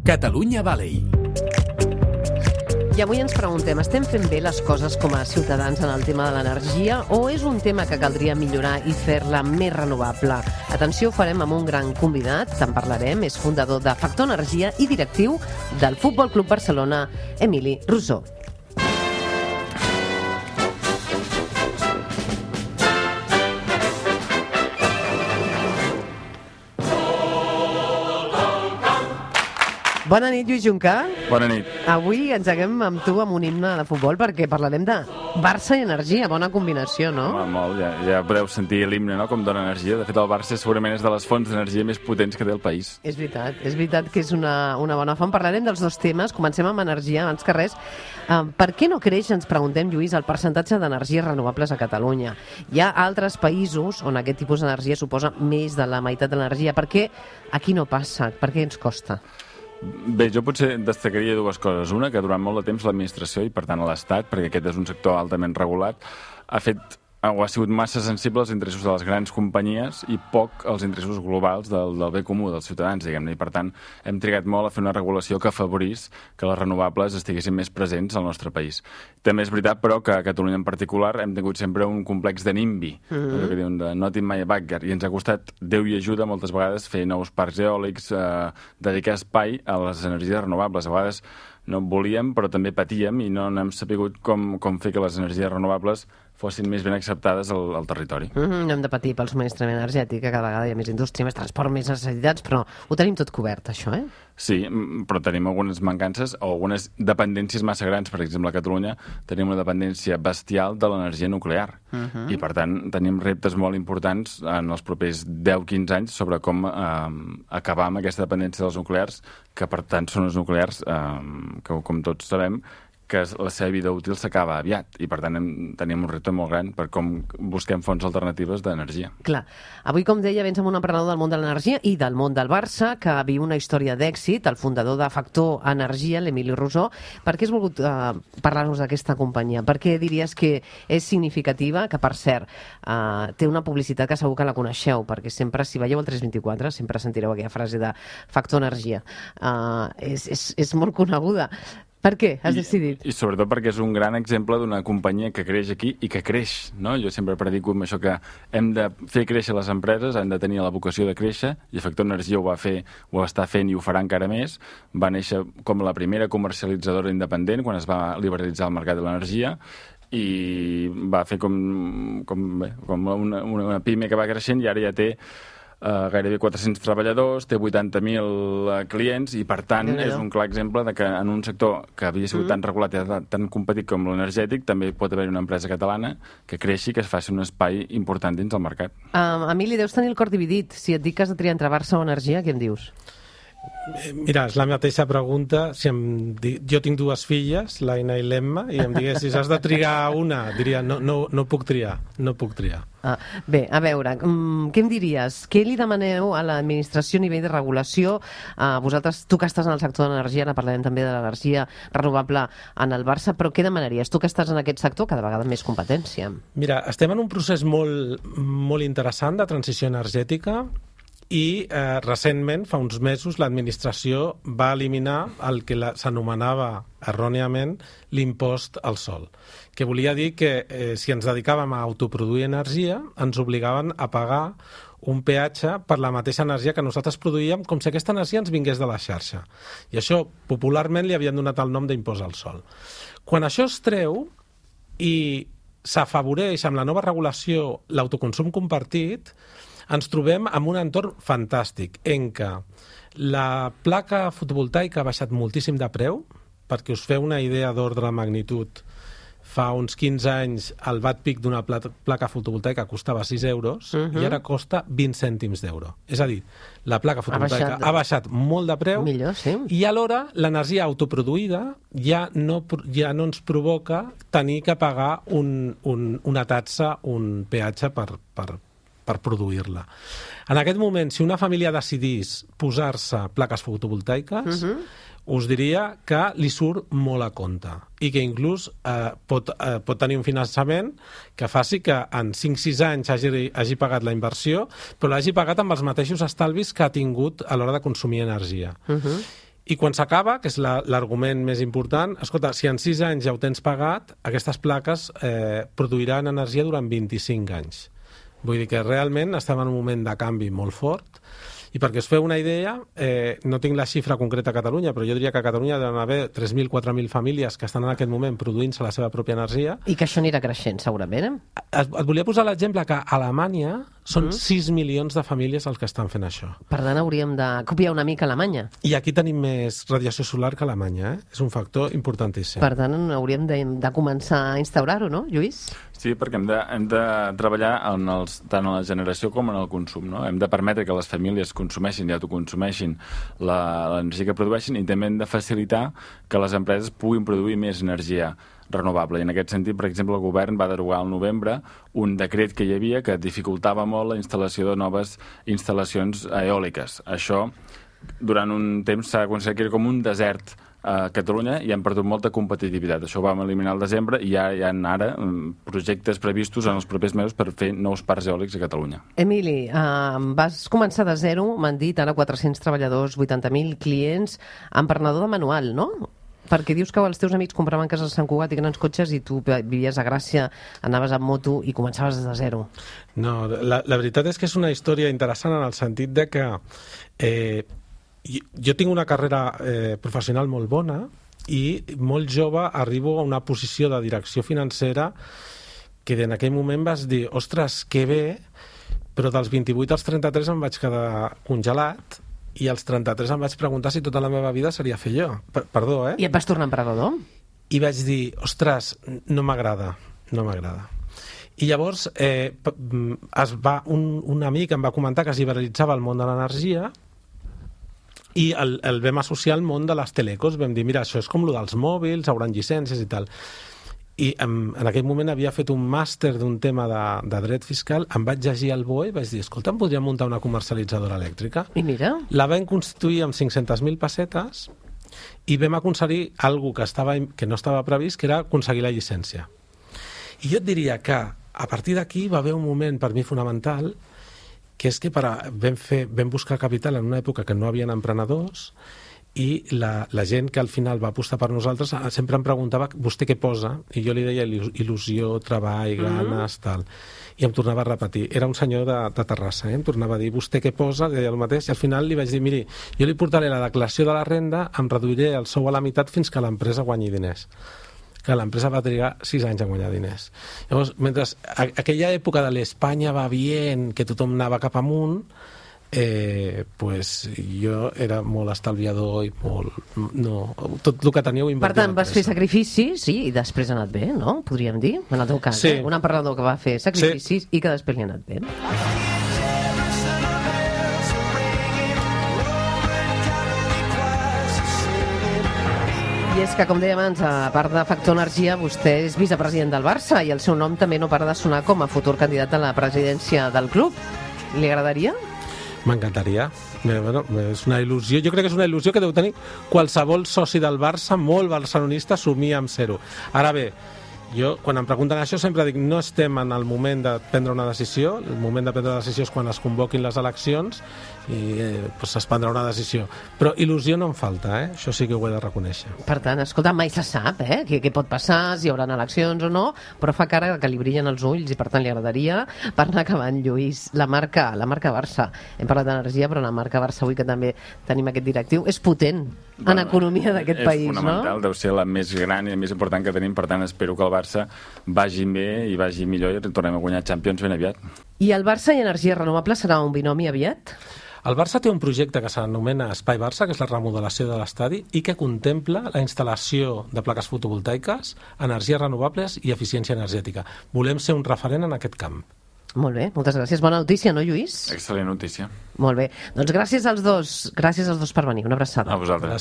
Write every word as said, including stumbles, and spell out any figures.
Catalunya Valley. I avui ens preguntem, estem fent bé les coses com a ciutadans en el tema de l'energia o és un tema que caldria millorar i fer-la més renovable? Atenció, ho farem amb un gran convidat, en parlarem, és fundador de Factor Energia i directiu del Futbol Club Barcelona, Emili Rosó. Bona nit, Lluís Juncà. Bona nit. Avui engeguem amb tu amb un himne de futbol perquè parlarem de Barça i energia. Bona combinació, no? Home, molt, ja, ja podeu sentir l'himne, no?, com dona energia. De fet, el Barça segurament és de les fonts d'energia més potents que té el país. És veritat, és veritat que és una, una bona font. Parlarem dels dos temes. Comencem amb energia, abans que res. Uh, per què no creix, ens preguntem, Lluís, el percentatge d'energies renovables a Catalunya? Hi ha altres països on aquest tipus d'energia suposa més de la meitat de l'energia. Per què aquí no passa? Per què ens costa? Bé, jo potser destacaria dues coses. Una, que durant molt de temps l'administració i, per tant, l'Estat, perquè aquest és un sector altament regulat, ha fet o ha sigut massa sensible als interessos de les grans companyies i poc als interessos globals del, del bé comú dels ciutadans, diguem-ne. I, per tant, hem trigat molt a fer una regulació que afavorís que les renovables estiguessin més presents al nostre país. També és veritat, però, que a Catalunya en particular hem tingut sempre un complex de NIMBY, mm-hmm. que diuen de Not in my backyard, i ens ha costat Déu i ajuda moltes vegades fer nous parcs eòlics, eh, dedicar espai a les energies renovables. A vegades no volíem, però també patíem i no hem sabut com, com fer que les energies renovables fossin més ben acceptades al, al territori. Mm-hmm, no hem de patir pel subministrament energètic, que cada vegada hi ha més indústria, més transport, més necessitats, però ho tenim tot cobert, això, eh? Sí, però tenim algunes mancances o algunes dependències massa grans. Per exemple, a Catalunya tenim una dependència bestial de l'energia nuclear. Uh-huh. I, per tant, tenim reptes molt importants en els propers deu a quinze anys sobre com eh, acabar amb aquesta dependència dels nuclears, que, per tant, són els nuclears eh, que, com tots sabem, que la seva vida útil s'acaba aviat i, per tant, hem, tenim un repte molt gran per com busquem fonts alternatives d'energia. Clar. Avui, com deia, vens amb un emprenedor del món de l'energia i del món del Barça, que viu una història d'èxit, el fundador de Factor Energia, l'Emili Rosó. Per què has volgut uh, parlar-nos d'aquesta companyia? Per què diries que és significativa? Que, per cert, uh, té una publicitat que segur que la coneixeu, perquè sempre, si veieu el tres vint-i-quatre, sempre sentireu aquella frase de Factor Energia. Uh, és, és, és molt coneguda. Per què has decidit? I, I sobretot perquè és un gran exemple d'una companyia que creix aquí i que creix, no? Jo sempre predico amb això que hem de fer créixer les empreses, han de tenir la vocació de créixer, i Factor Energia ho va fer, ho està fent i ho farà encara més. Va néixer com la primera comercialitzadora independent quan es va liberalitzar el mercat de l'energia i va fer com, com, bé, com una, una, una pime que va creixent i ara ja té Uh, gairebé quatre-cents treballadors, té vuitanta mil uh, clients i, per tant, no, no. és un clar exemple de que en un sector que havia sigut mm. tan regulat i tan competit com l'energètic també pot haver una empresa catalana que creixi, que es faci un espai important dins el mercat. Uh, Emili, deus tenir el cor dividit. Si et dic que has de triar entre Barça o energia, què em dius? Mira, és la mateixa pregunta. Si em di... Jo tinc dues filles, l'Aina i l'Emma, i em diguessis, has de triar una, diria, no, no, no puc triar, no puc triar. Ah, bé, a veure, um, què em diries? Què li demaneu a l'administració a nivell de regulació? Uh, vosaltres, tu que estàs en el sector de l'energia, ara parlarem també de l'energia renovable en el Barça, però què demanaries? Tu que estàs en aquest sector, cada vegada més competència. Mira, estem en un procés molt, molt interessant de transició energètica i eh, recentment, fa uns mesos, l'administració va eliminar el que s'anomenava erròniament l'impost al sol, que volia dir que eh, si ens dedicàvem a autoproduir energia ens obligaven a pagar un peatge per la mateixa energia que nosaltres produïem, com si aquesta energia ens vingués de la xarxa. I això popularment li havien donat el nom d'impost al sol. Quan això es treu i s'afavoreix amb la nova regulació l'autoconsum compartit, ens trobem en un entorn fantàstic en què la placa fotovoltaica ha baixat moltíssim de preu. Perquè us feu una idea d'ordre de magnitud, fa uns quinze anys el watt pic d'una placa fotovoltaica costava sis euros uh-huh. i ara costa vint cèntims d'euro. És a dir, la placa fotovoltaica ha baixat, ha baixat molt de preu. Millor, sí. I alhora l'energia autoproduïda ja no, ja no ens provoca tenir que pagar un, un, una taxa, un peatge per, per, per produir-la. En aquest moment, si una família decidís posar-se plaques fotovoltaiques, uh-huh. us diria que li surt molt a compte i que inclús eh, pot, eh, pot tenir un finançament que faci que en cinc sis anys hagi, hagi pagat la inversió, però l'hagi pagat amb els mateixos estalvis que ha tingut a l'hora de consumir energia. Uh-huh. I quan s'acaba, que és la, l'argument més important, escolta, si en sis anys ja ho tens pagat, aquestes plaques eh, produiran energia durant vint-i-cinc anys. Vull dir que realment estem en un moment de canvi molt fort. I perquè us feu una idea, eh, no tinc la xifra concreta a Catalunya, però jo diria que a Catalunya deuen haver tres mil, quatre mil famílies que estan en aquest moment produint-se la seva pròpia energia. I que això anirà creixent, segurament. Et, et volia posar l'exemple que a Alemanya són mm. sis milions de famílies els que estan fent això. Per tant, hauríem de copiar una mica Alemanya. I aquí tenim més radiació solar que Alemanya, eh? És un factor importantíssim. Per tant, hauríem de, de començar a instaurar-ho, no, Lluís? Sí, perquè hem de, hem de treballar en els, tant en la generació com en el consum, no? Hem de permetre que les famílies consumeixin i autoconsumeixin l'energia que produeixin, i també hem de facilitar que les empreses puguin produir més energia renovable. I en aquest sentit, per exemple, el govern va derogar al novembre un decret que hi havia que dificultava molt la instal·lació de noves instal·lacions eòliques. Això, durant un temps, s'ha aconseguit que era com un desert a Catalunya i han perdut molta competitivitat. Això ho vam eliminar al desembre i ja hi ha ara projectes previstos en els propers mesos per fer nous parcs eòlics a Catalunya. Emili, eh, vas començar de zero, m'han dit, ara quatre-cents treballadors, vuitanta mil clients, emprenedor de manual, no? Perquè dius que els teus amics compraven cases a Sant Cugat i grans cotxes i tu vivies a Gràcia, anaves amb moto i començaves des de zero. No, la, la veritat és que és una història interessant en el sentit de que eh, jo, jo tinc una carrera eh, professional molt bona i molt jove arribo a una posició de direcció financera que en aquell moment vas dir, ostres, que bé, però dels vint-i-vuit als trenta-tres em vaig quedar congelat i als trenta-tres em vaig preguntar si tota la meva vida seria fer jo. Per, perdó, eh? I et vas tornar emprenedor? I vaig dir, ostres, no m'agrada, no m'agrada. I llavors eh, es va, un, un amic em va comentar que es liberalitzava el món de l'energia i el, el vam associar al món de les telecos. Vam dir, mira, això és com el dels mòbils, hauran llicències i tal. I en, en aquell moment havia fet un màster d'un tema de, de dret fiscal, em vaig llegir el B O E i vaig dir, escolta, em podria muntar una comercialitzadora elèctrica? I mira. La vam constituir amb cinc-centes mil pessetes i vam aconseguir alguna que, estava, que no estava previst, que era aconseguir la llicència. I jo et diria que a partir d'aquí va haver un moment per mi fonamental, que és que per a, vam, fer, vam buscar capital en una època que no havien emprenedors, i la, la gent que al final va apostar per nosaltres sempre em preguntava, vostè què posa? I jo li deia il·lusió, treball, ganes, tal. I em tornava a repetir. Era un senyor de, de Terrassa, eh? Em tornava a dir, vostè què posa? Deia el mateix. I al final li vaig dir, miri, jo li portaré la declaració de la renda, em reduiré el sou a la meitat fins que l'empresa guanyi diners. Que l'empresa va trigar sis anys a guanyar diners. Llavors, mentre a, aquella època de l'Espanya va bien, que tothom anava cap amunt, Eh, pues jo era molt estalviador i molt... No, tot el que tenia ho invertia. Per tant, vas fer sacrificis, sí, i després ha anat bé, no? Podríem dir, en el teu cas. Sí. Eh? Un emprenedor que va fer sacrificis sí. i que després li ha anat bé. I és que, com dèiem abans, a part de Factor Energia, vostè és vicepresident del Barça i el seu nom també no para de sonar com a futur candidat a la presidència del club. Li agradaria? M'encantaria. Bueno, és una il·lusió. Jo crec que és una il·lusió que deu tenir qualsevol soci del Barça, molt barcelonista, somia amb ser-ho. Ara bé, jo, quan em pregunten això, sempre dic no estem en el moment de prendre una decisió. El moment de prendre una decisió és quan es convoquin les eleccions i eh, pues es prendrà una decisió. Però il·lusió no em falta, eh? Això sí que ho he de reconèixer. Per tant, escolta, mai se sap eh? què, què pot passar, si hi haurà eleccions o no, però fa cara que li brillen els ulls i per tant li agradaria. Per anar acabant, Lluís, la marca, la marca Barça. Hem parlat d'energia, però la marca Barça, avui que també tenim aquest directiu, és potent bueno, en economia d'aquest país, no? És fonamental, deu ser la més gran i la més important que tenim, per tant espero que el Barça vagi bé i vagi millor i tornem a guanyar Champions ben aviat. I el Barça i energia renovable serà un binomi aviat? El Barça té un projecte que s'anomena Espai Barça, que és la remodelació de l'estadi, i que contempla la instal·lació de plaques fotovoltaiques, energies renovables i eficiència energètica. Volem ser un referent en aquest camp. Molt bé, moltes gràcies. Bona notícia, no, Lluís? Excel·lent notícia. Molt bé. Doncs gràcies als dos, gràcies als dos per venir. Una abraçada. A vosaltres.